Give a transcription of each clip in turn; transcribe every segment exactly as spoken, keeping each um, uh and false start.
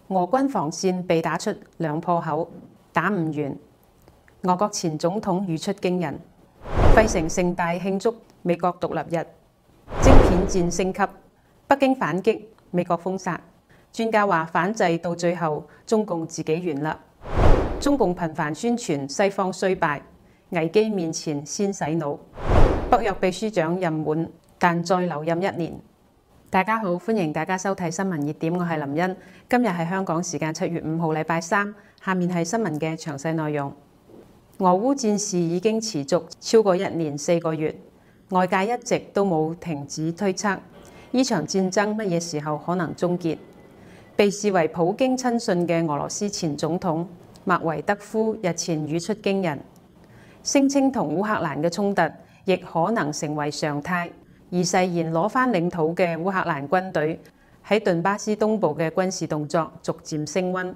俄軍防線被打出兩破口，打唔完。俄國前總統語出驚人，費城盛大慶祝美國獨立日。晶片戰升級，北京反擊，美國封殺。專家話反制到最後，中共自己完啦。中共頻繁宣傳西方衰敗，危機面前先洗腦。北約秘書長任滿，但再留任一年。大家好，歡迎大家收睇新聞熱點，我係林茵。今日係香港時間七月五號禮拜三，下面係新聞嘅詳細內容。俄烏戰事已經持續超過一年四個月，外界一直都冇停止推測呢場戰爭乜嘢時候可能終結。被視為普京親信嘅俄羅斯前總統麥維德夫日前語出驚人，聲稱同烏克蘭嘅衝突亦可能成為常態。而誓言攞返領土嘅烏克蘭軍隊喺頓巴斯東部嘅軍事動作逐漸升溫，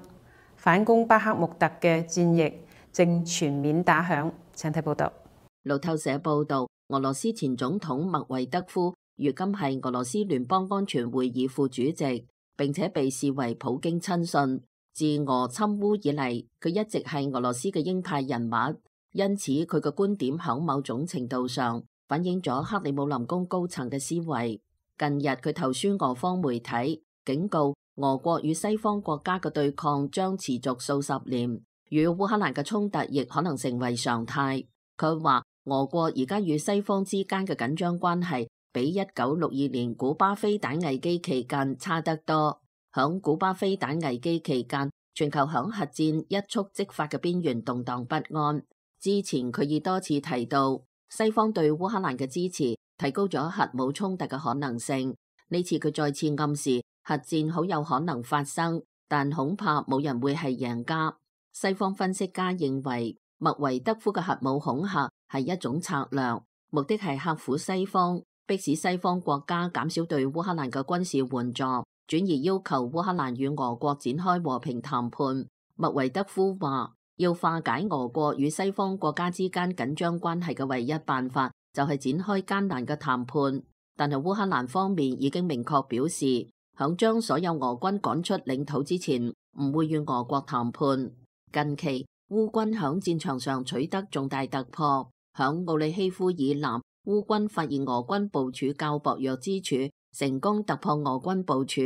反攻巴克穆特嘅戰役正全面打響。請睇報道。路透社報道，俄羅斯前總統麥維德夫如今係俄羅斯聯邦安全會議副主席，並且被視為普京親信。自俄侵烏以嚟，佢一直係俄羅斯嘅鷹派人物，因此佢嘅觀點響某種程度上反映咗克里姆林宮高層嘅思維。近日佢投書俄方媒體，警告俄國與西方國家嘅對抗將持續數十年，與烏克蘭嘅衝突亦可能成為常態。佢話俄國而家與西方之間嘅緊張關係比一九六二年古巴飛彈危機期間差得多。響古巴飛彈危機期間，全球響核戰一觸即發嘅邊緣動盪不安。之前佢已多次提到，西方對烏克蘭嘅支持提高咗核武衝突嘅可能性。呢次佢再次暗示核戰好有可能發生，但恐怕冇人會係贏家。西方分析家認為，麥維德夫嘅核武恐嚇係一種策略，目的係嚇唬西方，迫使西方國家減少對烏克蘭嘅軍事援助，轉而要求烏克蘭與俄國展開和平談判。麥維德夫話，要化解俄國與西方國家之間緊張關係嘅唯一辦法，就係展開艱難嘅談判。但係烏克蘭方面已經明確表示，響將所有俄軍趕出領土之前，唔會與俄國談判。近期烏軍響戰場上取得重大突破，響奧利希夫以南，烏軍發現俄軍部署較薄弱之處，成功突破俄軍部署，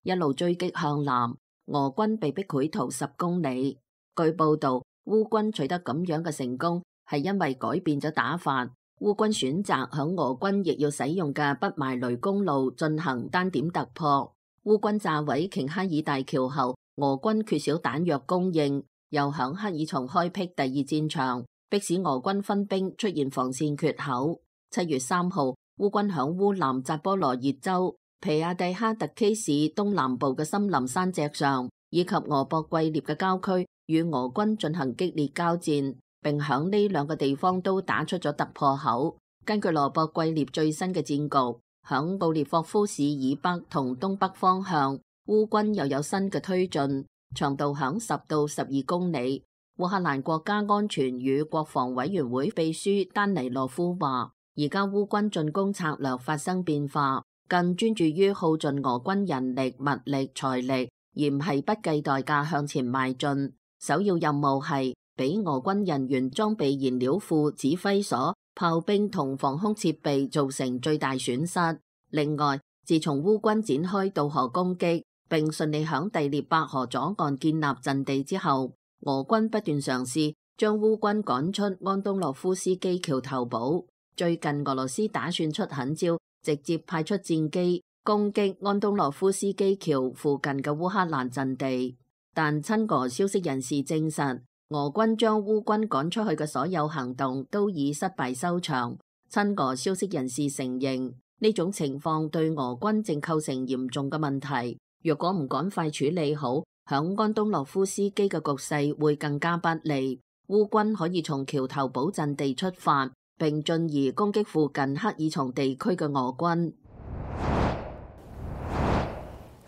一路追擊向南，俄軍被逼潰逃十公里。據報道，烏軍取得咁樣嘅成功，係因為改變咗打法。烏軍選擇響俄軍亦要使用嘅不邁雷公路進行單點突破。烏軍炸毀瓊哈爾大橋後，俄軍缺少彈藥供應，又響克爾松開闢第二戰場，迫使俄軍分兵出現防線缺口。七月三號，烏軍響烏南扎波羅熱州皮亞蒂哈特基市東南部嘅森林山脊上，以及俄博季涅嘅郊區，與俄軍進行激烈交戰，並響呢兩個地方都打出咗突破口。根據羅博季涅最新嘅戰局，響布列霍夫市以北同東北方向，烏軍又有新嘅推進，長度響十到十二公里。烏克蘭國家安全與國防委員會秘書丹尼洛夫話，而家烏軍進攻策略發生變化，更專注於耗盡俄軍人力、物力、財力，而唔係不計代價向前邁進。首要任務係俾俄軍人員裝備燃料庫、指揮所、炮兵同防空設備造成最大損失。另外，自從烏軍展開渡河攻擊，並順利響第聶伯河左岸建立陣地之後，俄軍不斷嘗試將烏軍趕出安東諾夫斯基橋頭堡。最近俄羅斯打算出狠招，直接派出戰機攻擊安東諾夫斯基橋附近嘅烏克蘭陣地。但親俄消息人士證實，俄軍將烏軍趕出去嘅所有行動都以失敗收場。親俄消息人士承認，呢種情況對俄軍正構成嚴重嘅問題。若果唔趕快處理好，響安東諾夫斯基嘅局勢會更加不利。烏軍可以從橋頭堡陣地出發，並進而攻擊附近克爾松地區嘅俄軍。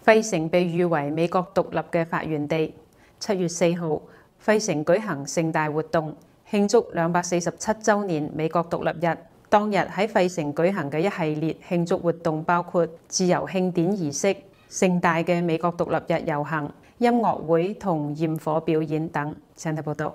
費城被譽為美國獨立嘅發源地。七月四號，費城舉行盛大活動，慶祝兩百四十七週年美國獨立日。當日喺費城舉行嘅一系列慶祝活動包括自由慶典儀式、盛大嘅美國獨立日遊行，音樂會同焰火表演等。請睇報道。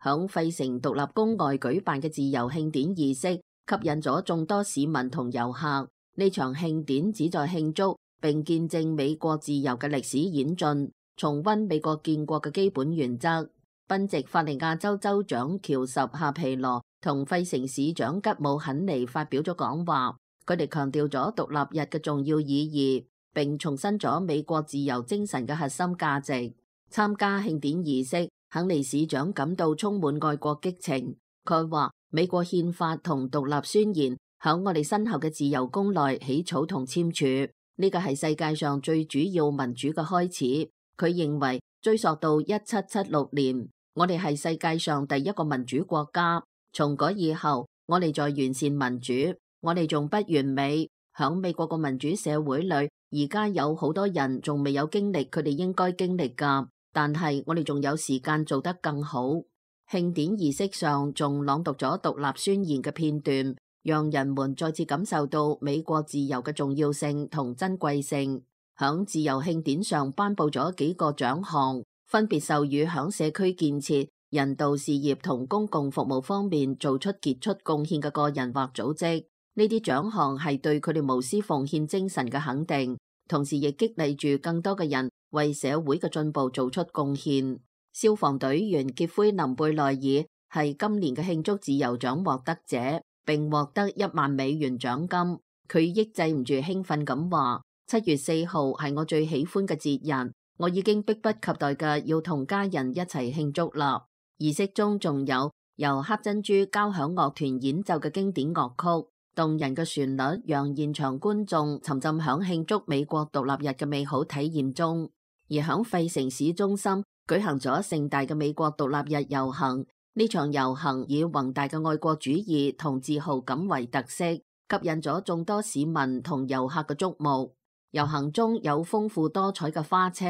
響費城獨立宮外舉辦嘅自由慶典儀式，吸引咗眾多市民同遊客。呢場慶典旨在慶祝並見證美國自由嘅歷史演進，重溫美國建國嘅基本原則。賓夕法尼亞州州長喬什夏皮羅同費城市長吉姆肯尼發表咗講話，佢哋強調咗獨立日嘅重要意義，並重申咗美國自由精神嘅核心價值。參加慶典儀式，肯尼市長感到充滿愛國激情。佢話美國憲法同獨立宣言響我哋身後嘅自由宮內起草同簽署，呢個係世界上最主要民主嘅開始。佢認為追溯到一七七六年，我哋係世界上第一個民主國家。從嗰以後，我哋在完善民主，我哋仲不完美。響美國個民主社會裏，而家有好多人仲未有經歷佢哋應該經歷㗎。但係我哋仲有時間做得更好。慶典儀式上仲朗讀咗獨立宣言嘅片段，讓人們再次感受到美國自由嘅重要性同珍貴性。響自由慶典上頒布咗幾個獎項，分別授予響社區建設、人道事業同公共服務方面做出傑出貢獻嘅個人或組織。呢啲獎項係對佢哋無私奉獻精神嘅肯定，同時亦激勵住更多嘅人為社會嘅進步做出貢獻。消防隊員傑奎林貝內爾係今年嘅慶祝自由獎獲得者，並獲得一萬美元獎金。佢抑制唔住興奮咁話：七月四號係我最喜歡嘅節日，我已經迫不及待嘅要同家人一齊慶祝啦。儀式中仲有由黑珍珠交響樂團演奏嘅經典樂曲，動人嘅旋律讓現場觀眾沉浸響慶祝美國獨立日嘅美好體驗中。而響費城市中心舉行咗盛大嘅美國獨立日遊行，呢場遊行以宏大嘅愛國主義同自豪感為特色，吸引咗眾多市民同遊客嘅矚目。遊行中有豐富多彩嘅花車、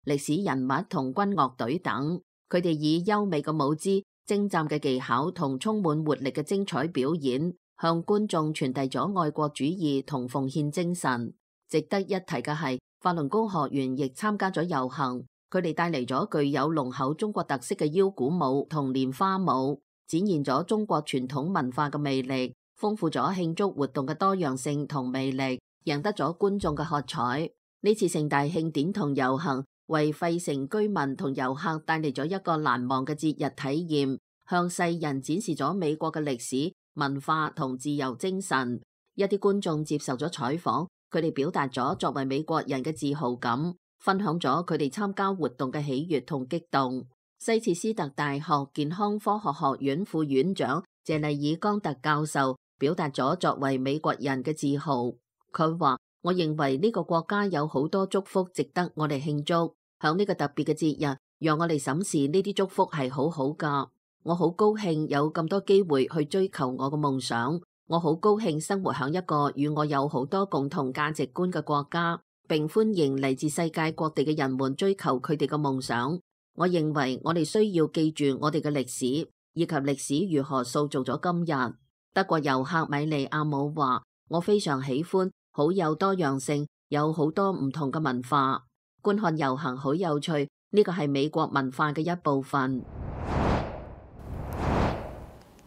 歷史人物同軍樂隊等，佢哋以優美嘅舞姿、精湛嘅技巧同充滿活力嘅精彩表演，向觀眾傳遞咗愛國主義同奉獻精神。值得一提嘅係，法輪功學員亦參加咗遊行，佢哋帶嚟咗具有濃厚中國特色嘅腰鼓舞同蓮花舞，展現咗中國傳統文化嘅魅力，豐富咗慶祝活動嘅多樣性同魅力，贏得咗觀眾嘅喝彩。呢次盛大慶典同遊行為費城居民同遊客帶嚟咗一個難忘嘅節日體驗，向世人展示咗美國嘅歷史、文化同自由精神。一啲觀眾接受咗採訪，佢哋表達咗作為美國人嘅自豪感，分享咗佢哋參加活動嘅喜悅同激動。西切斯特大學健康科學學院副院長謝麗爾岡特教授表達咗作為美國人嘅自豪。佢話：我認為呢個國家有好多祝福值得我哋慶祝，響呢個特別嘅節日，讓我哋審視呢啲祝福係好好㗎。我好高興有咁多機會去追求我嘅夢想。我好高興生活響一個與我有好多共同價值觀嘅國家，並歡迎嚟自世界各地嘅人們追求佢哋嘅夢想。我認為我哋需要記住我哋嘅歷史，以及歷史如何塑造咗今日。德國遊客米利亞姆話：我非常喜歡，好有多樣性，有好多唔同嘅文化。觀看遊行好有趣，呢個係美國文化嘅一部分。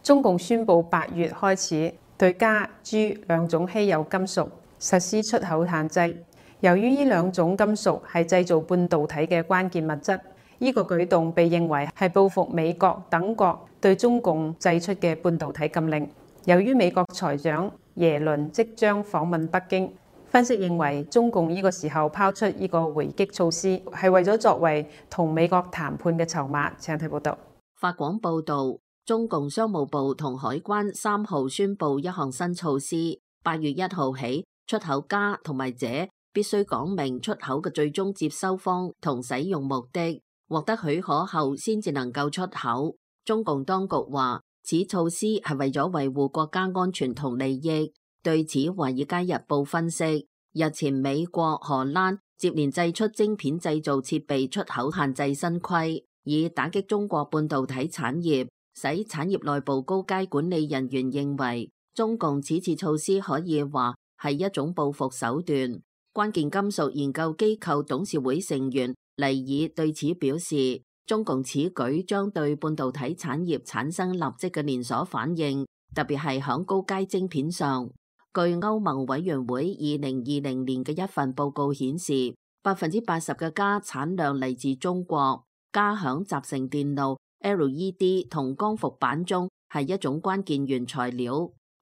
中共宣布八月開始對鎵、鑄兩種稀有金屬實施出口限制。由於呢兩種金屬係製造半導體嘅關鍵物質，呢個舉動被認為係報復美國等國對中共製出嘅半導體禁令。由於美國財長耶倫即將訪問北京，分析認為中共呢個時候拋出呢個回擊措施，係為咗作為同美國談判嘅籌碼。請睇報道。法廣報導，中共商務部同海關三號宣布一項新措施，八月一號起，出口鎵同埋鍺必須講明出口嘅最終接收方同使用目的，獲得許可後先至能夠出口。中共當局話，此措施係為咗維護國家安全同利益。對此，《華爾街日報》分析，日前美國、荷蘭接連祭出晶片製造設備出口限制新規，以打擊中國半導體產業。使產業內部高階管理人員認為，中共此次措施可以話係一種報復手段。關鍵金屬研究機構董事會成員黎爾對此表示，中共此舉將對半導體產業產生立即嘅連鎖反應，特別係響高階晶片上。據歐盟委員會二零二零年嘅一份報告顯示，百分之八十嘅鎵產量嚟自中國。鎵響集成電路、L E D 同光伏板中係一種關鍵原材料，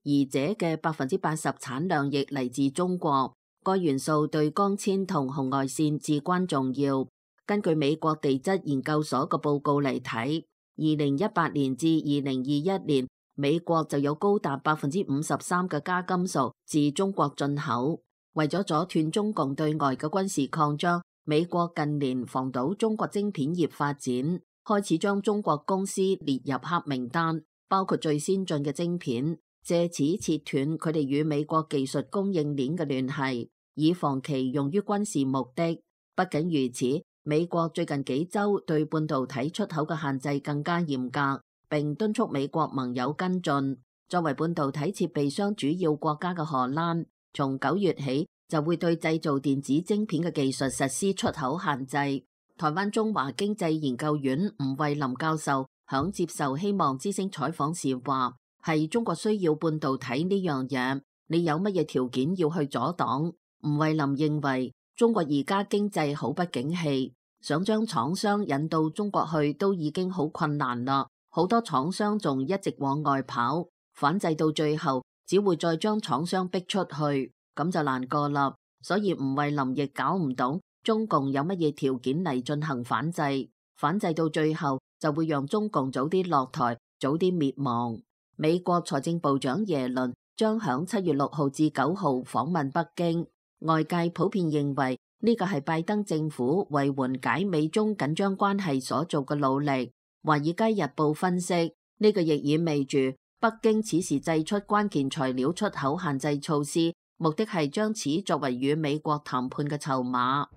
而這嘅百分之八十產量亦嚟自中國。該元素對光纖同紅外線至關重要。根據美國地質研究所嘅報告嚟睇，二零一八年至二零二一年，美國就有高達百分之五十三嘅鎵金屬自中國進口。為咗阻斷中共對外嘅軍事擴張，美國近年防堵中國晶片業發展，開始將中國公司列入黑名單，包括最先進嘅晶片，借此切斷佢哋與美國技術供應鏈嘅聯繫，以防其用於軍事目的。不僅如此，美國最近幾週對半導體出口嘅限制更加嚴格，並敦促美國盟友跟進。作為半導體設備商主要國家嘅荷蘭，從九月起就會對製造電子晶片嘅技術實施出口限制。台灣中華經濟研究院吳惠林教授響接受希望之聲採訪時話：係中國需要半導體呢樣嘢，你有乜嘢條件要去阻擋？吳惠林認為中國而家經濟好不景氣，想將廠商引到中國去都已經好困難啦。好多廠商仲一直往外跑，反制到最後只會再將廠商逼出去，咁就難過啦。所以吳惠林亦搞唔懂中共有乜嘢條件嚟進行反制，反制到最後就會讓中共早啲落台，早啲滅亡。美國財政部長耶倫將響七月六號至九號訪問北京，外界普遍認為呢個係拜登政府為緩解美中緊張關係所做嘅努力。華爾街日報分析，呢個亦意味住北京此時祭出關鍵材料出口限制措施，目的係將此作為與美國談判嘅籌碼。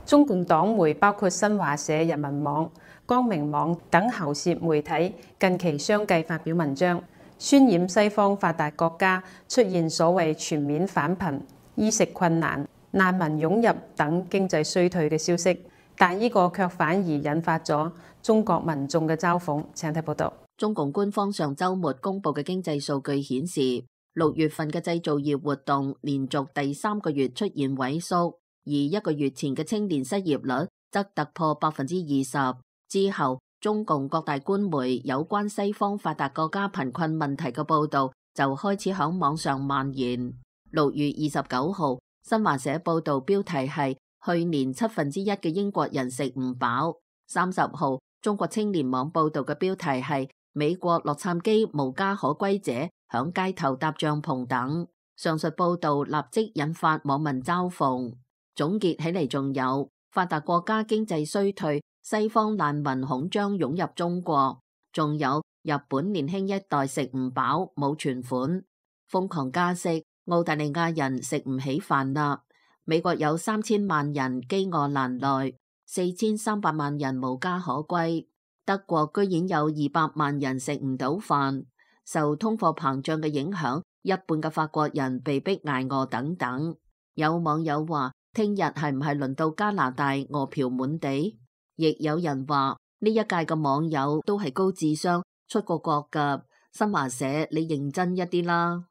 中共黨媒包括新華社、人民網、光明網等喉舌媒體近期相繼發表文章，渲染西方發達國家出現所謂全面返貧、衣食困難、難民湧入等經濟衰退嘅消息。但呢個卻反而引發咗中國民眾嘅嘲諷。請睇報道。中共官方上週末公布嘅經濟數據顯示，六月份嘅製造業活動連續第三個月出現萎縮，而一個月前嘅青年失業率則突破百分之二十。之後，中共各大官媒有關西方發達國家貧困問題嘅報導就開始響網上蔓延。六月二十九號，新華社報導標題係去年七分之一嘅英國人食唔飽。三十號，中國青年網報道嘅標題係美國洛杉磯無家可歸者響街頭搭帳篷等。上述報道立即引發網民嘲諷。總結起嚟，仲有發達國家經濟衰退，西方難民恐將湧入中國，仲有日本年輕一代食唔飽冇存款，瘋狂加息，澳大利亞人食唔起飯啦。美國有三千萬人飢餓難耐，四千三百萬人無家可歸。德國居然有二百萬人食唔到飯，受通貨膨脹嘅影響，一半嘅法國人被逼挨餓等等。有網友話，聽日係唔係輪到加拿大餓殍滿地？亦有人話呢一屆嘅網友都係高智商，出過國㗎。新華社，你認真一啲啦。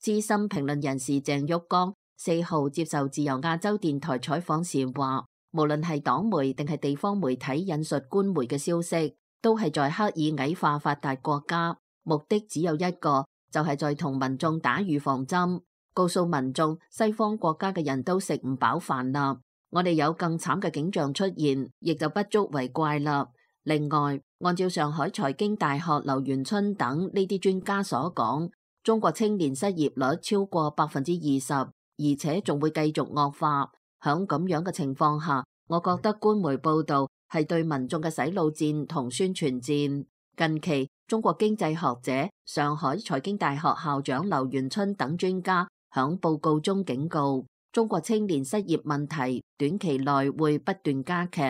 資深評論人士鄭旭光四號接受自由亞洲電台採訪時話，無論係黨媒定係地方媒體引述官媒嘅消息，都係在刻意矮化發達國家，目的只有一個，就係在同民眾打預防針，告訴民眾西方國家嘅人都食唔飽飯啦。我哋有更慘嘅景象出現，亦就不足為怪啦。另外，按照上海財經大學劉元春等呢啲專家所講，中國青年失業率超過百分之二十，而且仲會繼續惡化。響咁樣嘅情況下，我覺得官媒報道係對民眾嘅洗腦戰同宣傳戰。近期，中國經濟學者、上海財經大學校長劉元春等專家響報告中警告，中國青年失業問題短期內會不斷加劇，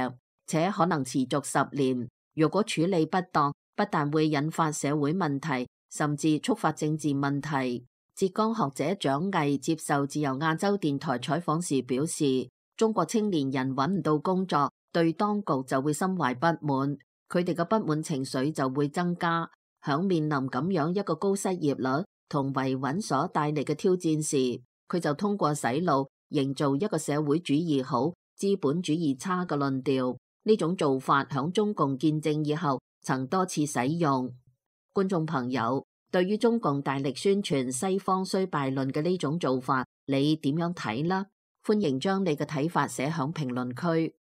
且可能持續十年。如果處理不當，不但會引發社會問題，甚至觸發政治問題。浙江學者蔣毅接受自由亞洲電台採訪時表示，中國青年人揾唔到工作，對當局就會心懷不滿，佢哋嘅不滿情緒就會增加。響面臨咁樣一個高失業率同維穩所帶嚟嘅挑戰時，佢就通過洗腦營造一個社會主義好、資本主義差嘅論調。呢種做法響中共建政以後曾多次使用。觀眾朋友，對於中共大力宣傳西方衰敗論嘅呢種做法，你點樣睇呢？歡迎將你嘅睇法寫響評論區。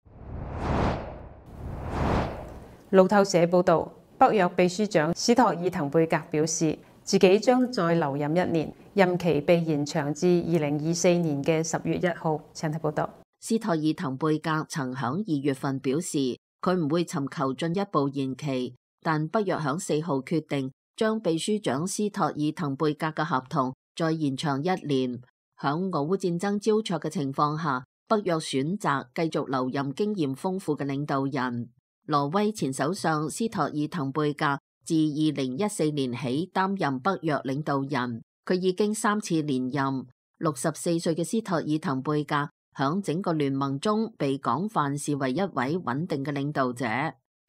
路透社報導，北約秘書長斯托爾滕貝格表示，自己將再留任一年，任期被延長至二零二四年嘅十月一號。請睇報導。斯托爾滕貝格曾響二月份表示，佢唔會尋求進一步延期，但北約響四號決定將秘書長斯托爾滕貝格嘅合同再延長一年。響俄烏戰爭焦灼嘅情況下，北約選擇繼續留任經驗豐富嘅領導人。挪威前首相斯托爾滕貝格自二零一四年起擔任北約領導人，佢已經三次連任。六十四歲嘅斯托爾滕貝格響整個聯盟中被廣泛視為一位穩定嘅領導者。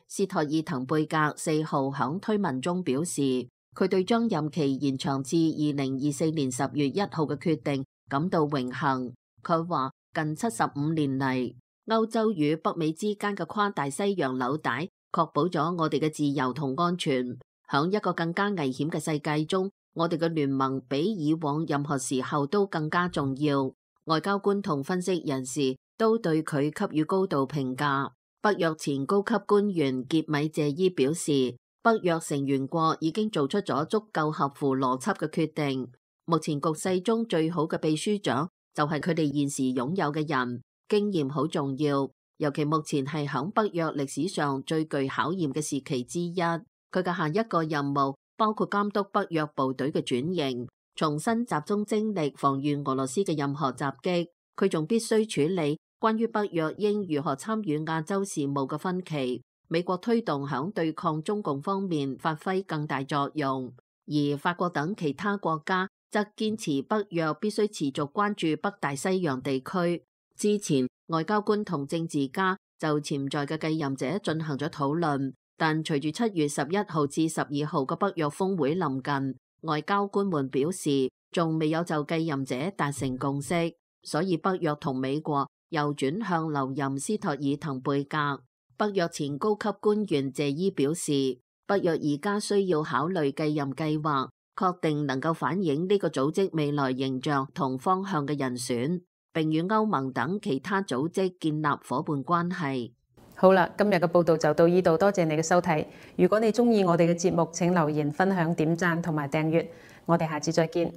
斯托爾滕貝格四號響推文中表示，佢對將任期延長至二零二四年十月一號嘅決定感到榮幸。佢話近七十五年嚟，歐洲與北美之間嘅跨大西洋紐帶確保咗我哋嘅自由同安全。響一個更加危險嘅世界中，我哋嘅聯盟比以往任何時候都更加重要。外交官同分析人士都對佢給予高度評價。北約前高級官員傑米謝伊表示，北約成員國已經做出咗足夠合乎邏輯嘅決定。目前局勢中最好嘅秘書長就係佢哋現時擁有嘅人。經驗好重要，尤其目前係響北約歷史上最具考驗嘅時期之一。佢嘅下一個任務包括監督北約部隊嘅轉型，重新集中精力防禦俄羅斯嘅任何襲擊。佢仲必須處理關於北約應如何參與亞洲事務嘅分歧。美國推動響對抗中共方面發揮更大作用，而法國等其他國家則堅持北約必須持續關注北大西洋地區。之前外交官同政治家就潛在嘅繼任者進行咗討論，但隨住七月十一號至十二號嘅北約峰會臨近，外交官們表示仲未有就繼任者達成共識，所以北約同美國又轉向留任斯托爾滕貝格。北約前高級官員謝伊表示，北約而家需要考慮繼任計劃，確定能夠反映呢個組織未來形象同方向嘅人選，並與歐盟等其他組織建立夥伴關係。好啦，今日嘅報道就到呢度，多謝你嘅收睇。如果你鍾意我哋嘅節目，請留言、分享、點讚同埋訂閱。我哋下次再見。